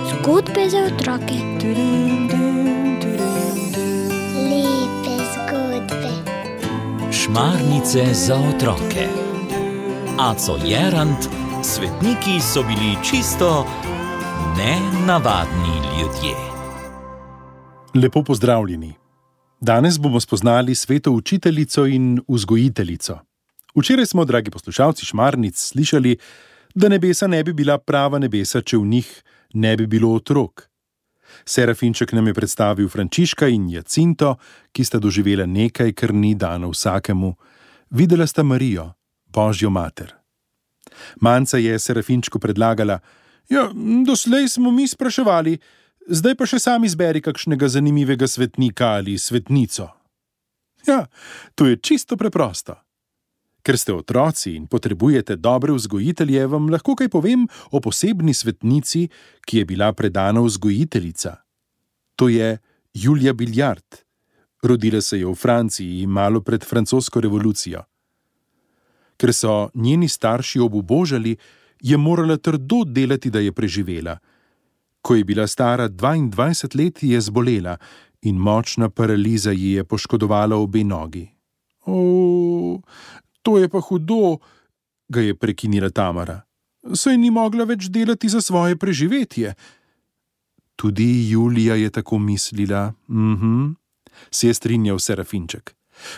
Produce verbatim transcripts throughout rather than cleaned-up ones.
Zgodbe za otroke. Lepe zgodbe. Šmarnice za otroke. Aco Jerant, svetniki so bili čisto nenavadni ljudje. Lepo pozdravljeni. Danes bomo spoznali sveto učiteljico in vzgojiteljico. Včeraj smo, dragi poslušalci Šmarnic, slišali, da nebesa ne bi bila prava nebesa, če v njih ne bi bilo otrok. Serafinček nam je predstavil Frančiška in Jacinto, ki sta doživela nekaj, kar ni dano vsakemu. Videla sta Marijo, Božjo mater. Manca je Serafinčku predlagala: ja, doslej smo mi spraševali, zdaj pa še sam izberi kakšnega zanimivega svetnika ali svetnico. Ja, to je čisto preprosto. Ker ste otroci in potrebujete dobre vzgojitelje, vam lahko kaj povem o posebni svetnici, ki je bila predana vzgojiteljica. To je Julija Biljard. Rodila se je v Franciji malo pred francosko revolucijo. Ker so njeni starši obubožali, je morala trdo delati, da je preživela. Ko je bila stara dvaindvajset let, je zbolela in močna paraliza ji je poškodovala obe nogi. O, to je pa hudo, ga je prekinila Tamara. Saj ni mogla več delati za svoje preživetje. Tudi Julija je tako mislila, mhm, se je strinjal Serafinček.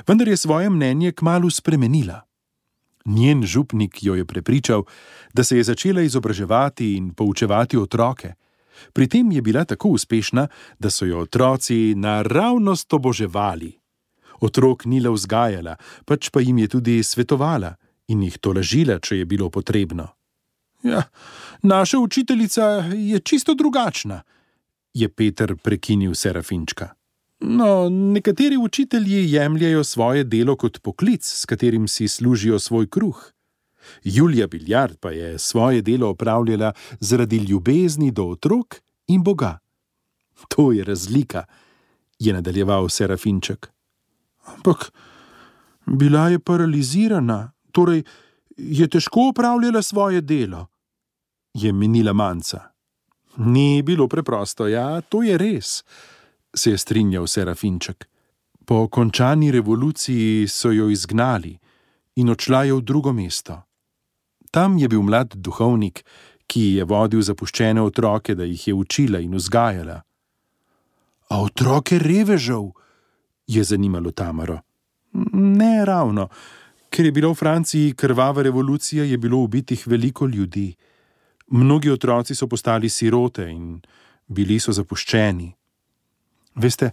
Vendar je svoje mnenje kmalu spremenila. Njen župnik jo je prepričal, da se je začela izobraževati in poučevati otroke. Pri tem je bila tako uspešna, da so jo otroci naravnost oboževali. Otrok ni le vzgajala, pač pa jim je tudi svetovala in jih tolažila, če je bilo potrebno. Ja, naša učiteljica je čisto drugačna, je Peter prekinil Serafinčka. No, nekateri učitelji jemljajo svoje delo kot poklic, s katerim si služijo svoj kruh. Julija Biljard pa je svoje delo opravljala zaradi ljubezni do otrok in Boga. To je razlika, je nadaljeval Serafinček. Ampak bila je paralizirana, torej je težko opravljala svoje delo, je menila Manca. Ni bilo preprosto, ja, to je res, se je strinjal Serafinček. Po končani revoluciji so jo izgnali in odšla je v drugo mesto. Tam je bil mlad duhovnik, ki je vodil zapuščene otroke, da jih je učila in vzgajala. A otroke revežev? Je zanimalo Tamaro. Ne ravno, ker je bila v Franciji krvava revolucija, je bilo ubitih veliko ljudi. Mnogi otroci so postali sirote in bili so zapuščeni. Veste,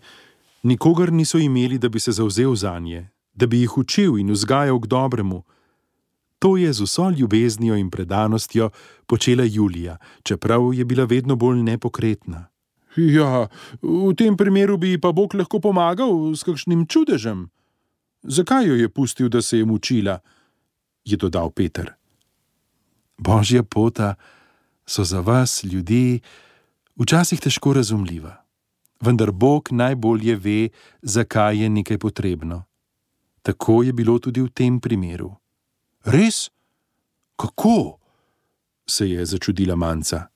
nikogar niso imeli, da bi se zavzel zanje, da bi jih učil in vzgajal k dobremu. To je z vso ljubeznijo in predanostjo počela Julija, čeprav je bila vedno bolj nepokretna. Ja, v tem primeru bi pa Bog lahko pomagal s kakšnim čudežem. Zakaj jo je pustil, da se je mučila? Je dodal Peter. Božja pota so za vas, ljudi, včasih težko razumljiva. Vendar Bog najbolje ve, zakaj je nekaj potrebno. Tako je bilo tudi v tem primeru. Res? Kako? Se je začudila Manca.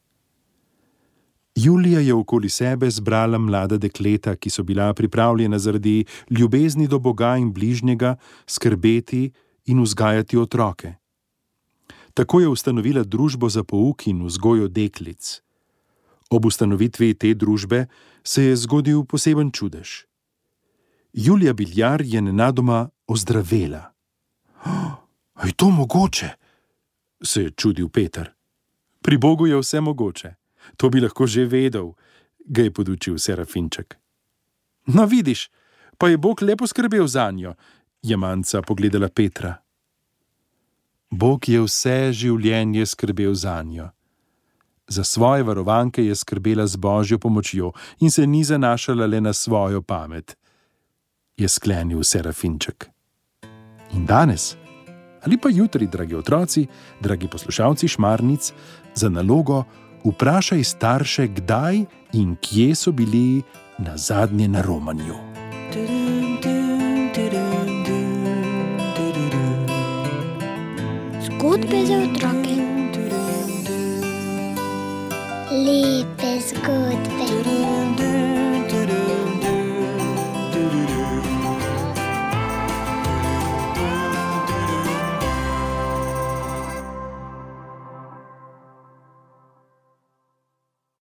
Julija je okoli sebe zbrala mlada dekleta, ki so bila pripravljena zaradi ljubezni do Boga in bližnjega skrbeti in vzgajati otroke. Tako je ustanovila družbo za pouk in vzgojo deklic. Ob ustanovitvi te družbe se je zgodil poseben čudež. Julija Biljard je nenadoma ozdravela. A je to mogoče? Se je čudil Peter. Pri Bogu je vse mogoče. To bi lahko že vedel, ga je podučil Serafinček. No vidiš, pa je Bog lepo skrbel zanjo, je Manca pogledala Petra. Bog je vse življenje skrbel zanjo. Za svoje varovanke je skrbela z Božjo pomočjo in se ni zanašala le na svojo pamet, je sklenil Serafinček. In danes, ali pa jutri, dragi otroci, dragi poslušalci Šmarnic, za nalogo vprašaj starše, kdaj in kje so bili nazadnje na romanju. Zgodbe za otroke. Lepe zgodbe.